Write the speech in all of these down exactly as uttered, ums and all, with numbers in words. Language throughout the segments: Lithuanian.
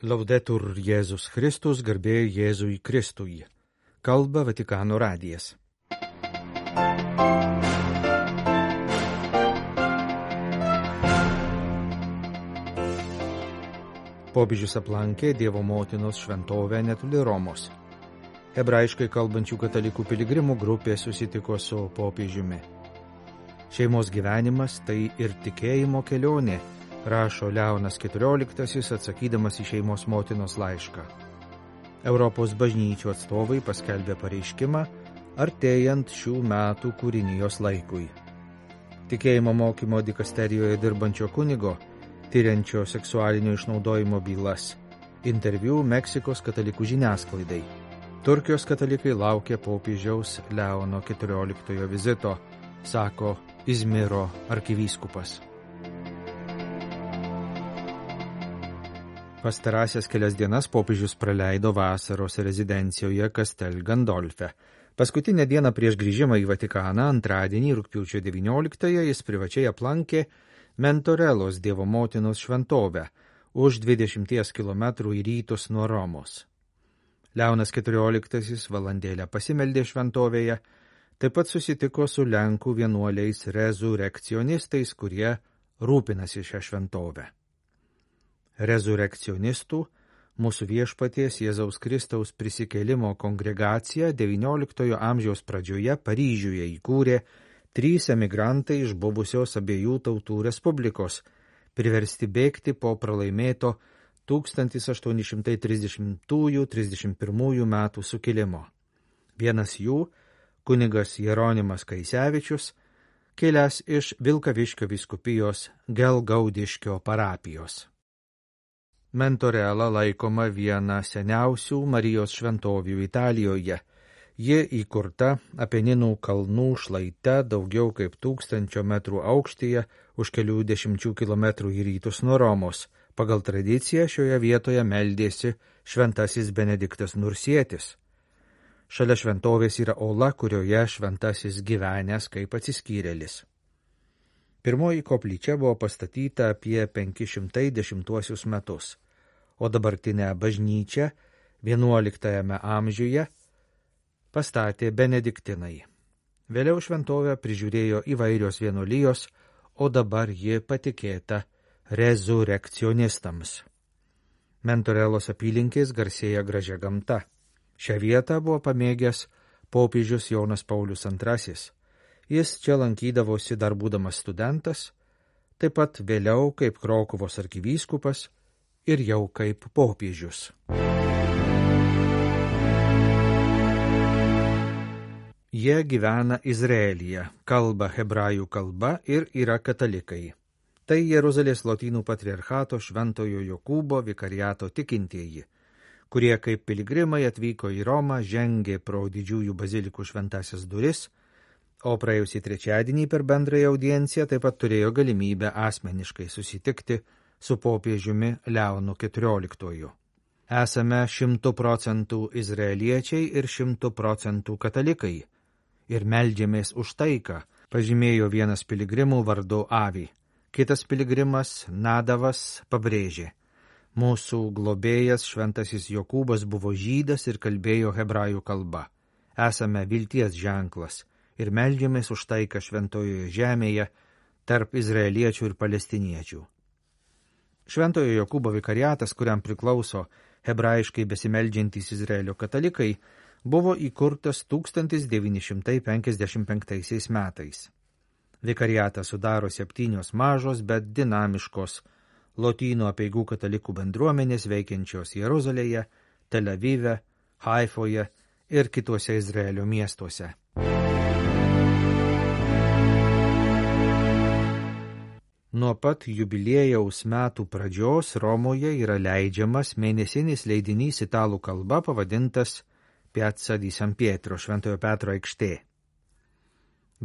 Laudetur Jėzus Kristus, garbė Jėzui Kristui. Kalba Vatikano radijas. Popiežius aplankė Dievo motinos šventovę netoli Romos. Hebrajiškai kalbančių katalikų piligrimų grupė susitiko su popiežiumi. Šeimos gyvenimas tai ir tikėjimo kelionė, rašo Leonas keturioliktasis atsakydamas į šeimos motinos laišką. Europos bažnyčių atstovai paskelbė pareiškimą artėjant šių metų kūrinijos laikui. Tikėjimo mokymo dikasterijoje dirbančio kunigo, tyriančio seksualinio išnaudojimo bylas, interviu Meksikos katalikų žiniasklaidai. Turkijos katalikai laukia popiežiaus Leono keturioliktojo vizito, sako Izmiro arkivyskupas. Pastarąsias kelias dienas popiežius praleido vasaros rezidencijoje Castel Gandolfe. Paskutinę dieną prieš grįžimą į Vatikaną, antradienį rugpjūčio devynioliktąją, jis privačiai aplankė Mentorelos Dievo motinos šventovę už dvidešimties kilometrų į rytus nuo Romos. Leonas keturioliktasis valandėlę pasimeldė šventovėje, taip pat susitiko su Lenkų vienuoliais rezurekcionistais, kurie rūpinasi šią šventovę. Rezurekcionistų, mūsų viešpaties Jėzaus Kristaus prisikėlimo kongregacija devynioliktojo amžiaus pradžioje Paryžiuje įkūrė trys emigrantai iš buvusios abiejų tautų respublikos, priversti bėgti po pralaimėto tūkstantis aštuoni šimtai trisdešimtųjų trisdešimt pirmųjų metų sukilimo. Vienas jų, kunigas Jeronimas Kaisevičius, kilęs iš Vilkaviškio vyskupijos Gelgaudiškio parapijos. Mentorela laikoma viena seniausių Marijos šventovių Italijoje. Ji įkurta Apeninų kalnų šlaite daugiau kaip tūkstančio metrų aukštyje už kelių dešimčių kilometrų į rytus nuo Romos. Pagal tradiciją šioje vietoje meldėsi šventasis Benediktas Nursietis. Šalia šventovės yra ola, kurioje šventasis gyvenęs kaip atsiskyrėlis. Pirmoji koplyčia buvo pastatyta apie penki šimtai dešimtuosius metus, o dabartinę bažnyčią vienuoliktajame amžiuje pastatė benediktinai. Vėliau šventovę prižiūrėjo įvairios vienuolijos, o dabar ji patikėta rezurekcionistams. Mentorelos apylinkės garsėja gražia gamta. Šią vietą buvo pamėgęs popiežius Jonas Paulius antrasis. Jis čia lankydavosi dar būdamas studentas, taip pat vėliau kaip Krokuvos arkivyskupas ir jau kaip popiežius. Jie gyvena Izraelyje, kalba hebrajų kalba ir yra katalikai. Tai Jeruzalės Lotynų patriarchato Šventojo Jokūbo vikariato tikintieji, kurie kaip piligrimai atvyko į Romą, žengė pro didžiųjų bazilikų šventasias duris, o praėjusį trečiadienį per bendrąją audienciją taip pat turėjo galimybę asmeniškai susitikti su popiežiumi Leonu keturioliktuoju. Esame šimtų procentų izraeliečiai ir šimtų procentų katalikai ir meldžiamės už taiką, pažymėjo vienas piligrimų vardu Avi. Kitas piligrimas Nadavas pabrėžė: mūsų globėjas šventasis Jokūbas buvo žydas ir kalbėjo hebrajų kalba. Esame vilties ženklas ir meldžiamės už taiką šventojoje žemėje tarp izraeliečių ir palestiniečių. Šventojo Jokūbo vikariatas, kuriam priklauso hebrajiškai besimeldžiantys Izraelio katalikai, buvo įkurtas tūkstantis devyni šimtai penkiasdešimt penktaisiais metais. Vikariatą sudaro septynios mažos, bet dinamiškos lotynų apeigų katalikų bendruomenės veikiančios Jeruzalėje, Tel Avive, Haifoje ir kituose Izraelio miestuose. Nuo pat jubiliejaus metų pradžios Romoje yra leidžiamas mėnesinis leidinys italų kalba pavadintas Piazza di San Pietro, Šventojo Petro aikštė.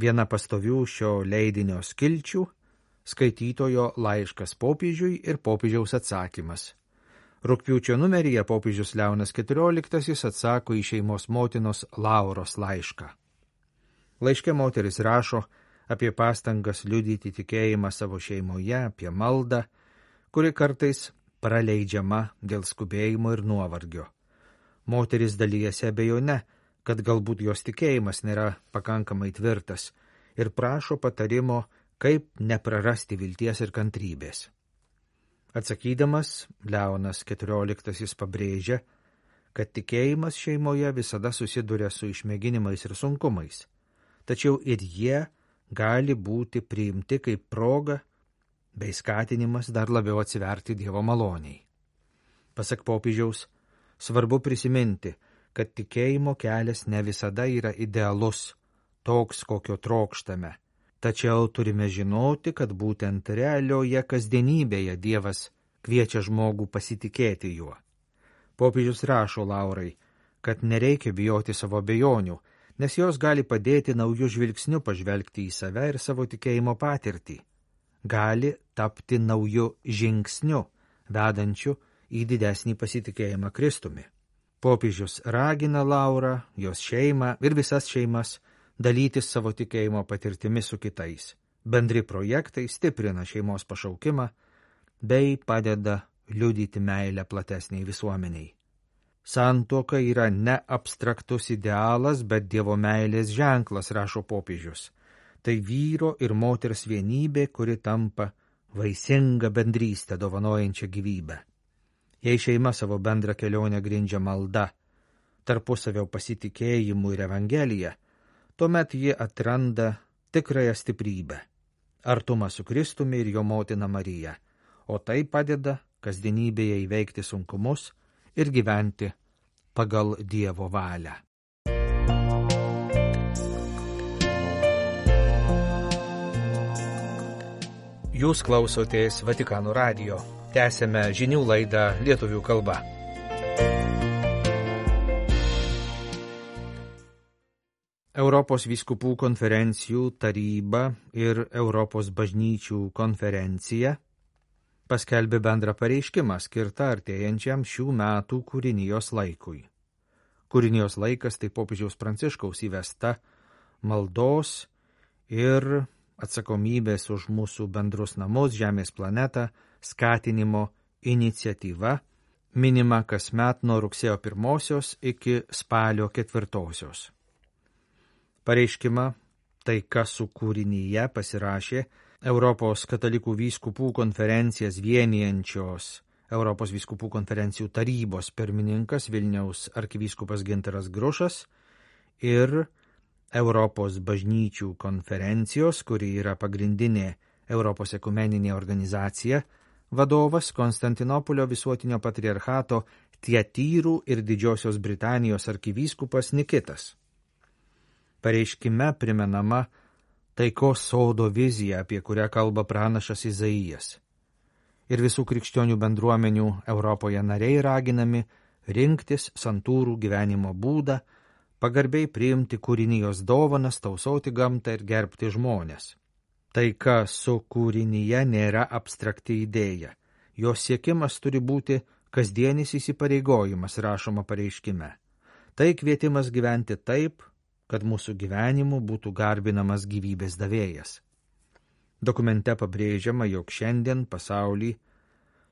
Viena pastovių šio leidinio skilčių – skaitytojo laiškas popiežiui ir popiežiaus atsakymas. Rugpjūčio numeryje popiežius Leonas keturioliktasis atsako į šeimos motinos Lauros laišką. Laiške moteris rašo apie pastangas liudyti tikėjimą savo šeimoje, apie maldą, kuri kartais praleidžiama dėl skubėjimo ir nuovargio. Moteris dalyjasi abejone, kad galbūt jos tikėjimas nėra pakankamai tvirtas ir prašo patarimo, kaip neprarasti vilties ir kantrybės. Atsakydamas, Leonas keturioliktasis pabrėžia, kad tikėjimas šeimoje visada susiduria su išmėginimais ir sunkumais, tačiau ir jie gali būti priimti kaip proga bei skatinimas dar labiau atsiverti Dievo maloniai. Pasak popiežiaus, svarbu prisiminti, kad tikėjimo kelias ne visada yra idealus, toks, kokio trokštame, tačiau turime žinoti, kad būtent realioje kasdienybėje Dievas kviečia žmogų pasitikėti juo. Popiežius rašo Laurai, kad nereikia bijoti savo abejonių, nes jos gali padėti naujų žvilgsnių pažvelgti į save ir savo tikėjimo patirtį. Gali tapti naujų žingsnių, vedančių į didesnį pasitikėjimą Kristumi. Popiežius ragina Laurą, jos šeimą ir visas šeimas dalytis savo tikėjimo patirtimi su kitais. Bendri projektai stiprina šeimos pašaukimą bei padeda liudyti meilę platesniai visuomeniai. Santuoka yra ne abstraktus idealas, bet Dievo meilės ženklas, rašo popiežius. Tai vyro ir moters vienybė, kuri tampa vaisinga bendrystė dovanojančia gyvybę. Jei šeima savo bendrą kelionę grindžia malda, tarpusavio pasitikėjimu ir evangelija, tuomet ji atranda tikrąją stiprybę, artumą su Kristumi ir jo motina Marija, o tai padeda kasdienybėje įveikti sunkumus ir gyventi pagal Dievo valią. Jūs klausotės Vatikano radijo. Tęsėme žinių laidą lietuvių kalba. Europos vyskupų konferencijų taryba ir Europos bažnyčių konferencija paskelbė bendrą pareiškimą skirtą artėjančiam šių metų kūrinijos laikui. Kūrinijos laikas tai popiežiaus Pranciškaus įvesta maldos ir atsakomybės už mūsų bendrus namus, žemės planetą, skatinimo iniciatyva, minima kasmet nuo rugsėjo pirmosios iki spalio ketvirtosios. Pareiškimą Taika su kūrinyje pasirašė Europos katalikų vyskupų konferencijas vienijančios Europos vyskupų konferencijų tarybos pirmininkas Vilniaus arkivyskupas Gintaras Grušas ir Europos bažnyčių konferencijos, kuri yra pagrindinė Europos ekumeninė organizacija, vadovas Konstantinopolio visuotinio patriarchato Tiatyrų ir Didžiosios Britanijos arkivyskupas Nikitas. Pareiškime primenama taikos sodo vizija, apie kurią kalba pranašas Izaijas. Ir visų krikščionių bendruomenių Europoje nariai raginami rinktis santūrų gyvenimo būdą, pagarbiai priimti kūrinijos dovanas, tausoti gamtą ir gerbti žmonės. Taika su kūrinyje nėra abstrakti idėja. Jos siekimas turi būti kasdienis įsipareigojimas, rašoma pareiškime. Tai kvietimas gyventi taip, kad mūsų gyvenimu būtų garbinamas gyvybės davėjas. Dokumente pabrėžiama, jog šiandien pasaulį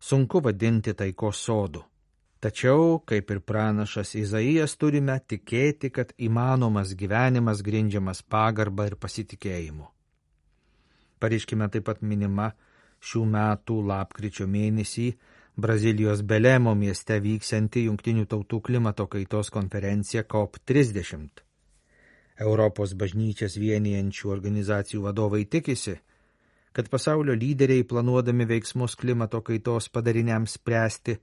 sunku vadinti taikos sodu. Tačiau, kaip ir pranašas Izaijas, turime tikėti, kad įmanomas gyvenimas grindžiamas pagarba ir pasitikėjimu. Pareiškime taip pat minima šių metų lapkričio mėnesį Brazilijos Belemo mieste vyksianti Jungtinių tautų klimato kaitos konferencija C O P trisdešimt. Europos bažnyčias vienijančių organizacijų vadovai tikisi, kad pasaulio lyderiai planuodami veiksmus klimato kaitos padariniams spręsti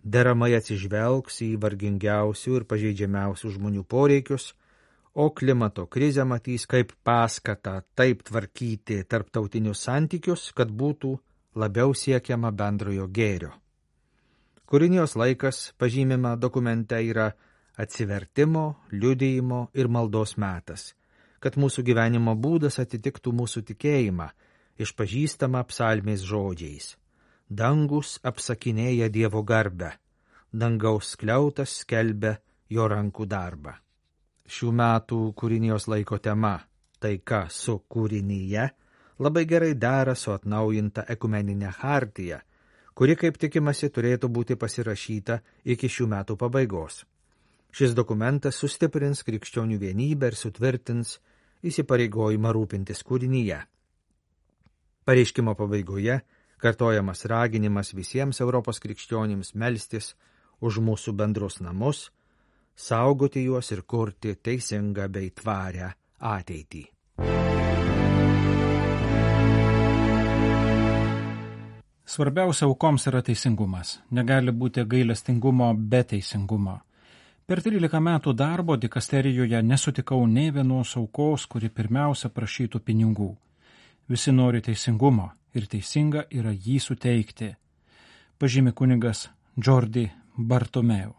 deramai atsižvelgs į vargingiausių ir pažeidžiamiausių žmonių poreikius, o klimato krizę matys kaip paskatą taip tvarkyti tarptautinius santykius, kad būtų labiau siekiama bendrojo gėrio. Kūrinijos laikas, pažymima dokumente, yra atsivertimo, liudijimo ir maldos metas, kad mūsų gyvenimo būdas atitiktų mūsų tikėjimą, išpažįstama psalmės žodžiais. Dangus apsakinėja Dievo garbę, dangaus skliautas skelbia jo rankų darbą. Šių metų kūrinijos laiko tema Taika su kūrinyje labai gerai dera su atnaujinta ekumeninė chartija, kuri, kaip tikimasi, turėtų būti pasirašyta iki šių metų pabaigos. Šis dokumentas sustiprins krikščionių vienybę ir sutvirtins įsipareigojimą rūpintis kūrinyje. Pareiškimo pabaigoje kartojamas raginimas visiems Europos krikščionims melstis už mūsų bendrus namus, saugoti juos ir kurti teisingą bei tvarią ateitį. Svarbiausia aukoms yra teisingumas. Negali būti gailestingumo be teisingumo. Per trylika metų darbo dikasterijoje nesutikau nei vienos aukos, kuri pirmiausia prašytų pinigų. Visi nori teisingumo ir teisinga yra jį suteikti, pažymi kunigas Jordi Bartomeu.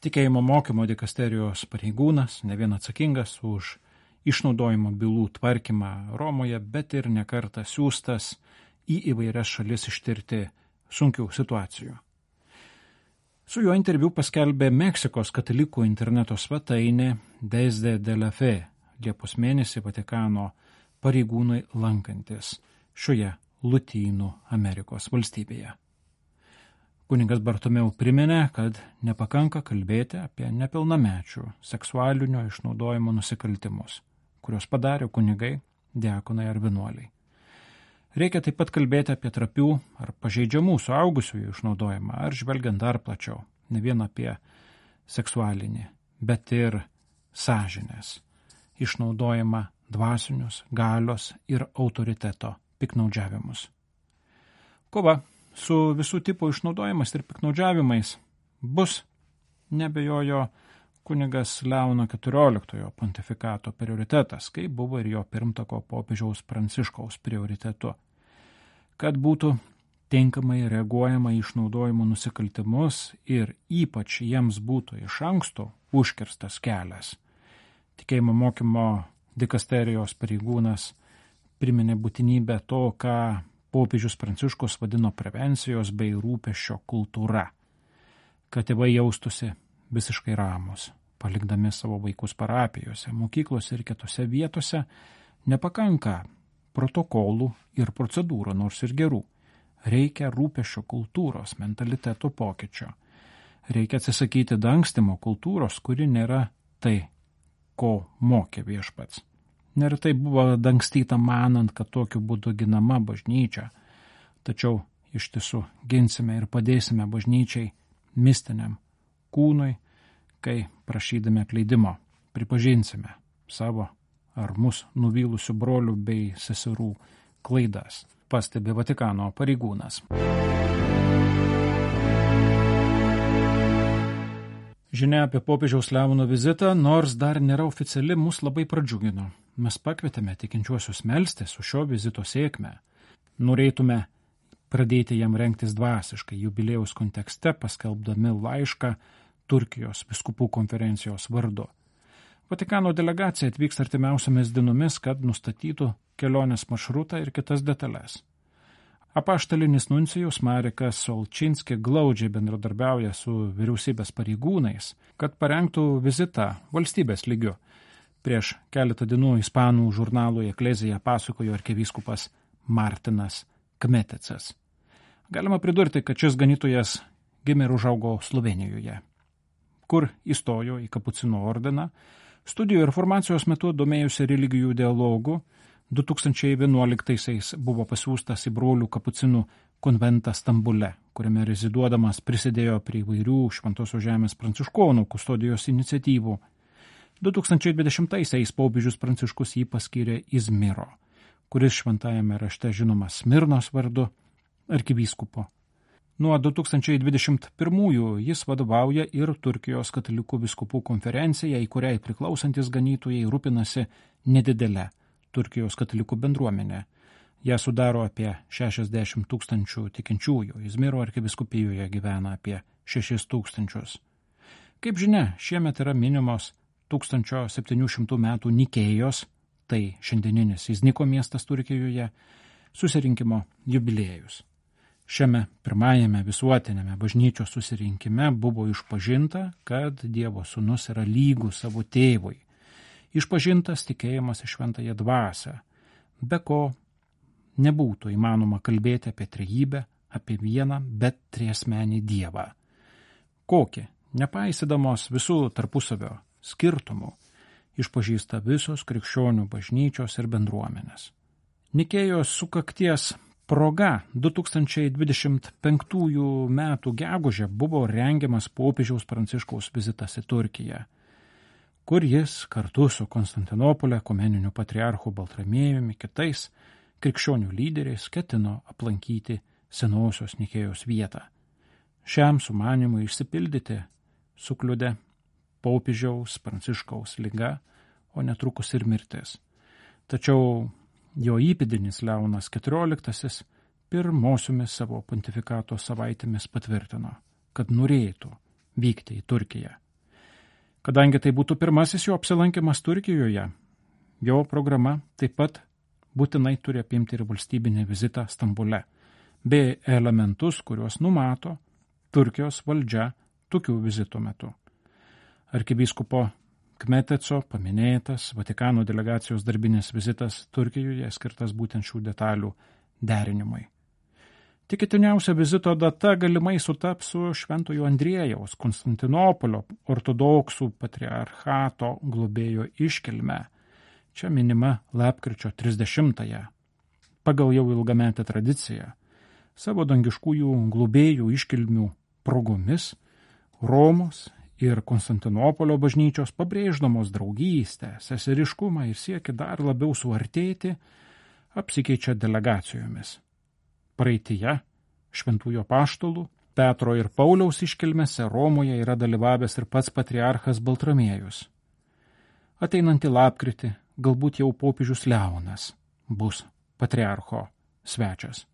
Tikėjimo mokymo dikasterijos pareigūnas, ne vien atsakingas už išnaudojimo bylų tvarkymą Romoje, bet ir nekartą siųstas į įvairias šalis ištirti sunkių situacijų. Su juo interviu paskelbė Meksikos katalikų interneto svetainė Desde de la Fe, Liepos mėnesį Vatikano pareigūnai lankantis šioje Lotynų Amerikos valstybėje. Kunigas Bartomeu priminė, kad nepakanka kalbėti apie nepilnamečių seksualinio išnaudojimo nusikaltimus, kurios padarė kunigai, diakonai ar vienuoliai. Reikia taip pat kalbėti apie trapių ar pažeidžiamų suaugusiųjų išnaudojimą, ar žvelgiant dar plačiau, ne vien apie seksualinį, bet ir sąžinės išnaudojimą, dvasinius, galios ir autoriteto piknaudžiavimus. Kova su visų tipų išnaudojimas ir piknaudžiavimais bus, nebejojo, kunigas Leono keturioliktojo pontifikato prioritetas, kaip buvo ir jo pirmtako popiežiaus Pranciškaus prioritetu. Kad būtų tinkamai reaguojama į išnaudojimo nusikaltimus ir ypač jiems būtų iš anksto užkirstas kelias. Tikėjimo mokymo dikasterijos pareigūnas priminė būtinybę to, ką popiežius Pranciškus vadino prevencijos bei rūpesčio kultūra, kad tėvai jaustųsi visiškai ramus, palikdami savo vaikus parapijose, mokyklose ir kitose vietose. Nepakanka protokolų ir procedūrų, nors ir gerų. Reikia rūpesčio kultūros, mentaliteto pokyčio. Reikia atsisakyti dangstymo kultūros, kuri nėra tai, ko mokė viešpats. Neretai buvo dangstyta manant, kad tokiu būdu ginama bažnyčia. Tačiau iš tiesų ginsime ir padėsime bažnyčiai mistiniam kūnui, kai prašydami atleidimo pripažinsime savo ar mus nuvylusių brolių bei seserų klaidas, pastebi Vatikano pareigūnas. Žinia apie popiežiaus Leono vizitą, nors dar nėra oficiali, mus labai pradžiugino. Mes pakvietėme tikinčiuosius melstis su šio vizito sėkme. Norėtume pradėti jam rengtis dvasiškai jubiliejaus kontekste, paskelbdami laišką Turkijos vyskupų konferencijos vardu. Vatikano delegacija atvyks artimiausiamis dienomis, kad nustatytų kelionės maršrutą ir kitas detalės. Apaštalinis nuncijus Marekas Solčinski glaudžiai bendradarbiauja su vyriausybės pareigūnais, kad parengtų vizitą valstybės lygiu. Prieš keletą dienų ispanų žurnalui Eklezija pasakojo arkivyskupas Martinas Kmetecas. Galima pridurti, kad šis ganytojas gimė ir užaugo Slovėnijoje, kur įstojo į kapucinų ordiną. Studijų ir formacijos metu domėjusi religijų dialogų, du tūkstančiai vienuoliktaisiais buvo pasiųstas į brolių kapucinų konventą Stambule, kuriame reziduodamas prisidėjo prie įvairių Šventosios žemės pranciškonų kustodijos iniciatyvų. du tūkstančiai dvidešimtaisiais popiežius Pranciškus jį paskyrė Izmiro, kuris šventajame rašte žinomas Smirnos vardu arkivyskupo. Nuo du tūkstančiai dvidešimt pirmųjų jis vadovauja ir Turkijos katalikų vyskupų konferencija, į kuriai priklausantis ganytojai rūpinasi nedidelę Turkijos katalikų bendruomenę. Ją sudaro apie šešiasdešimt tūkstančių tikinčiųjų, Izmiro arkivyskupijoje gyvena apie šešis tūkstančius. Kaip žinia, šiemet yra minimos tūkstančio septynių šimtų metų Nikėjos, tai šiandieninis Izniko miestas Turkijoje, susirinkimo jubiliejus. Šiame pirmajame visuotinėme bažnyčios susirinkime buvo išpažinta, kad Dievo sūnus yra lygus savo tėvui. Išpažintas tikėjimas į šventąją dvasią, be ko nebūtų įmanoma kalbėti apie trejybę, apie vieną, bet triasmenį Dievą. Kokį, nepaisydamos visų tarpusavio skirtumų, išpažįsta visos krikščionių bažnyčios ir bendruomenės. Nikėjos sukakties proga du tūkstančiai dvidešimt penktųjų metų gegužę buvo rengiamas popiežiaus Pranciškaus vizitas į Turkiją, kur jis kartu su Konstantinopolio ekumeniniu patriarchu Baltramiejumi kitais krikščionių lyderiais ketino aplankyti senosios Nikėjos vietą. Šiam sumanimui išsipildyti sukliudė popiežiaus Pranciškaus liga, o netrukus ir mirtis. Tačiau jo įpėdinis Leonas keturioliktasis pirmosiomis savo pontifikato savaitėmis patvirtino, kad norėtų vykti į Turkiją. Kadangi tai būtų pirmasis jo apsilankimas Turkijoje, jo programa taip pat būtinai turi apimti ir valstybinį vizitą Stambule, bei elementus, kuriuos numato Turkijos valdžia tokių vizitų metu. Arkivyskupo Kmeteco paminėtas Vatikano delegacijos darbinis vizitas Turkijoje skirtas būtent šių detalių derinimui. Tikėtiniausia vizito data galimai sutaps su Šventojo Andriejaus Konstantinopolio ortodoksų patriarchato globėjo iškilme. Čia minima lapkričio trisdešimtąją. Pagal jau ilgametę tradiciją, savo dangiškųjų globėjų iškilmių progomis Romos ir Konstantinopolio bažnyčios pabrėždamos draugystę, seseriškumą ir siekį dar labiau suartėti, apsikeičia delegacijomis. Praeityje šventųjų apaštalų Petro ir Pauliaus iškilmėse Romoje yra dalyvavęs ir pats patriarchas Baltramiejus. Ateinantį lapkritį galbūt jau popiežius Leonas bus patriarcho svečias.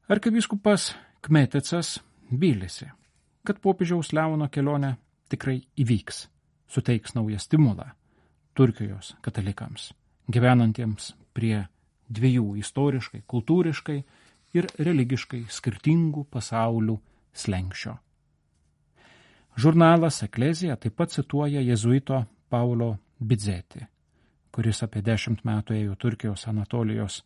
Arkivyskupas Kmetecas vylėsi, kad popiežiaus Leono kelionė tikrai įvyks, suteiks naują stimulą Turkijos katalikams, gyvenantiems prie dviejų istoriškai, kultūriškai ir religiškai skirtingų pasaulių slenksčio. Žurnalas Eklezija taip pat cituoja jėzuito Paulo Bidzeti, kuris apie dešimt metų ėjo Turkijos Anatolijos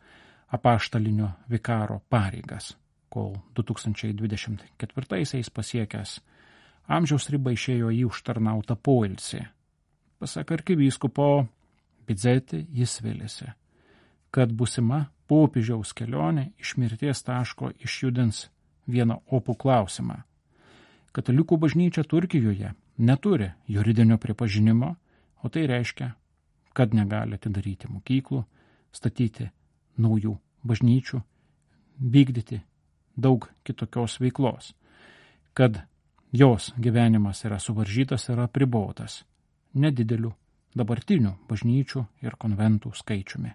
apaštalinio vikaro pareigas, kol du tūkstančiai dvidešimt ketvirtaisiais pasiekęs amžiaus ribą išėjo į užtarnautą poilsį. Pasak arkivyskupo Bidzeti, jis vylėsi, kad būsima popiežiaus kelionė iš mirties taško išjudins vieną opų klausimą. Katalikų bažnyčia Turkijoje neturi juridinio pripažinimo, o tai reiškia, kad negali atidaryti mokyklų, statyti naujų bažnyčių, vykdyti daug kitokios veiklos, kad jos gyvenimas yra suvaržytas ir apribotas nedideliu dabartinių bažnyčių ir konventų skaičiumi.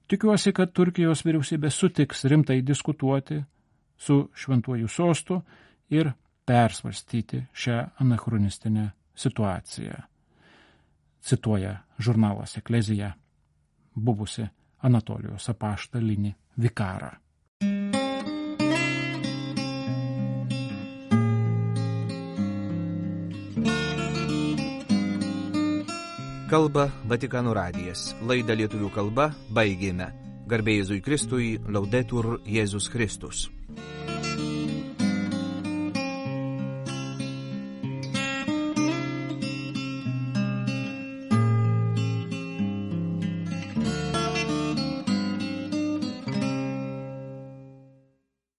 Tikiuosi, kad Turkijos vyriausybė sutiks rimtai diskutuoti su šventuoju sostu ir persvarstyti šią anachronistinę situaciją. Cituoja žurnalas Eklezija buvusi Anatolijos apaštalinį vikarą. Kalba Vatikano radijas. Laidą lietuvių kalba baigėme. Garbė Jėzui Kristui, Laudetur Jėzus Kristus.